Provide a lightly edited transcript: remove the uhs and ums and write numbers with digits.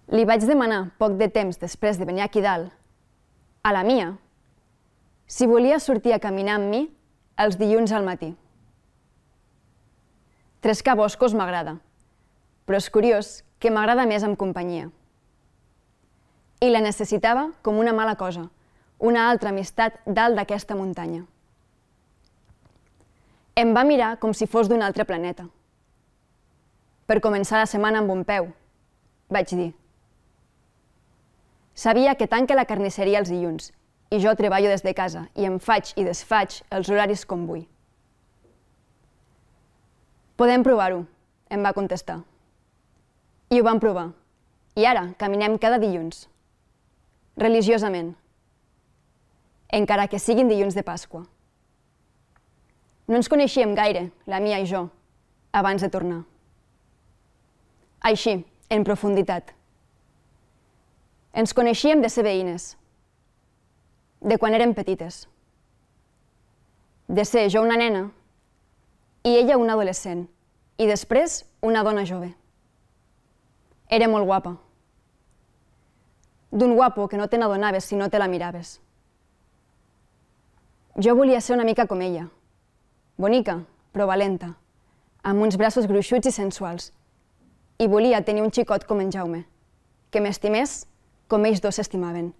Li vaig demanar, poc de temps després de venir aquí dalt, a la Mia, si volia sortir a caminar amb mi els dilluns al matí. Trescar boscos m'agrada, però és curiós que m'agrada més amb companyia. I la necessitava com una mala cosa, una altra amistat dalt d'aquesta muntanya. Em va mirar com si fos d'un altre planeta. Per començar la setmana amb un peu, vaig dir. Sabia que tanca la carnisseria els dilluns i jo treballo des de casa i em faig i desfaig els horaris com vull. Podem provar-ho, em va contestar. I ho vam provar. I ara caminem cada dilluns. Religiosament. Encara que siguin dilluns de Pasqua. No ens coneixíem gaire, la Mia i jo, abans de tornar. Així, en profunditat. Ens coneixíem de ser veïnes, de quan érem petites, de ser jo una nena i ella una adolescent, i després una dona jove. Era molt guapa. D'un guapo que no te n'adonaves si no te la miraves. Jo volia ser una mica com ella, bonica, però valenta, amb uns braços gruixuts i sensuals, i volia tenir un xicot com en Jaume, que m'estimés com ells dos s'estimaven.